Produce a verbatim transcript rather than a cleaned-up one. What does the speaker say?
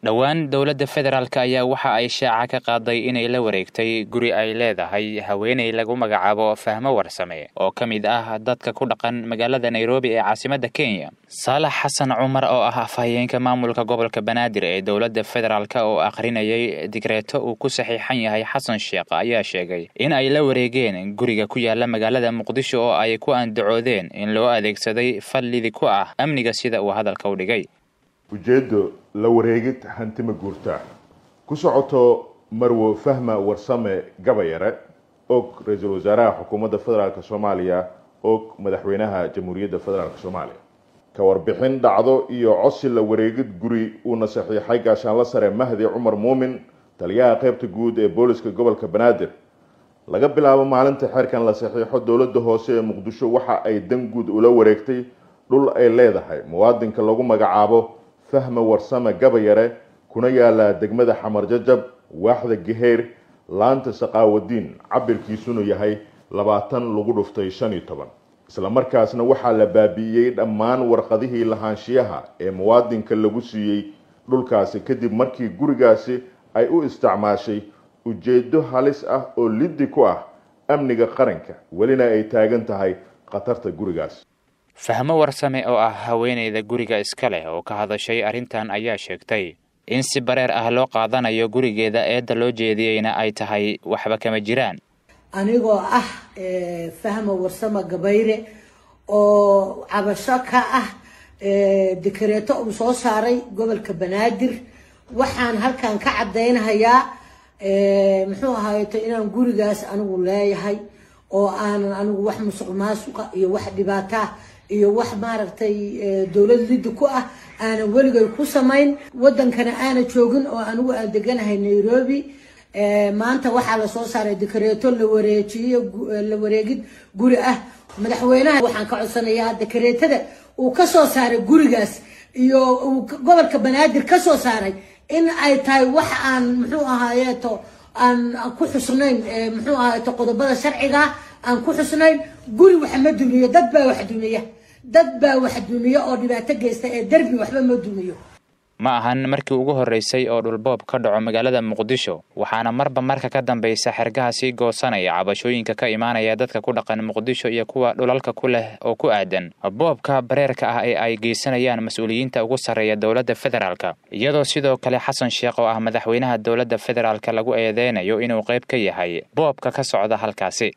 Dhowaan dowladda federaalk ayaa waxa ay shaaca ka qaaday inay la wareegtay guri ay leedahay haweeney lagu magacaabo Fahmo Warsame oo ka mid ah dadka ku dhaqan magaalada Nairobi ee caasimadda Kenya. Saalax Xasan Cumar oo ah afhayeenka maamulka gobolka Banaadir ee dowladda federaalk oo akhrinayay digreeto uu ku saxiixan yahay Xasan Sheekh ayaa sheegay in ay la wareegeen guriga ku yaala magaalada Muqdisho oo ay ku andacoodeen in loo adeegsaday fallidi ku ah amniga, sida uu hadalka u dhigay. Ujeeddo la wareegid hanti ma guurta ku socoto Marwo Fahma Warsame Gabayare, og ra-iisul wasaaraha xukuumadda federaalk Soomaaliya, og madaxweynaha Jamhuuriyadda Federaalk Soomaaliya. Ka warbixin dhacdo iyo codsi la wareegid guri uuna saxiixay gaashaanla sare Mahdi Cumar Muumin, taliyaha qaybta guud ee booliska gobolka Banaadir. Laga bilaabo maalinta xeerkan la saxiixo, dowladda hoose ee Muqdisho waxa ay dan guud ula wareegtay dhul ay leedahay muwaadinka lagu magacaabo Fahma Warsame Gabayare, kuna yaala degmada Xamar Jajab, waaxda Gaheyr, laanta Saqaawadiin, cabirkiisuna yahay labaatan lagu dhuftay shan iyo toban. Isla markaasna waxaa la baabi'iyey dhammaan warqadihii lahaanshiyaha ee muwaadinka lagu siiyey dhulkaasi, kadib markii gurigaasi ay u isticmaashay ujeeddo halis ah oo liddi ku ah amniga qaranka, welina ay taagan tahay khatarta gurigaas. Fahmo Warsame oo ah haweeneyda guriga iska leh oo ka hadashay arrintan ayaa sheegtay in si bareer ah loo qaadanayo gurigeeda, eedda loo jeediyeyna ay tahay waxba kama jiraan. Anigoo ah Fahmo Warsame Gabayre oo cabasho ka ah dikareeto uu soo saaray gobolka Banaadir, waxaan halkan ka caddaynhayaa, muxuu ahaayeto, inaan gurigaas anigu leeyahay oo aanan anigu wax musuq maasuqa iyo wax dhibaataa iyo wax, maaragtay, dowlad liddi ku ah aanan weligay ku samayn, wadankana aana joogin oo anigu aan deganahay Nairobi. Maanta waxaa lasoo saaray dikareeto la wareejiyo, la wareegid guri ah. Madaxweynaha waxaan ka codsanayaa dikareetada uu ka soo saaray gurigaas iyo uu gobolka Banaadir ka soo saaray in ay tahay wax aan, muxuu ahaayeeto, aan ku xusnayn, muxuu ahaayeeto, qodobada sharciga aan ku xusnayn. Guri wax ma dumiyo, dad baa wax dumiya, dad baa wax dumiya oo dhibaato geysta ee derbi waxba ma dumiyo. Ma ahan markii ugu horreysay oo dhulboob ka dhaco magaalada Muqdisho, waxaana marba marka ka dambaysa xergaha sii goosanaya cabashooyinka ka imaanaya dadka ku dhaqan Muqdisho iyo kuwa dhulalka ku leh oo ku aadan boobka bareerka ah ee ay geysanayaan mas-uuliyiinta ugu sarreeya dowladda federaalka, iyadoo sidoo kale Xasan Sheekh oo ah madaxweynaha dowladda federaalka lagu eedeynayo inuu qayb ka yahay boobka ka socda halkaasi.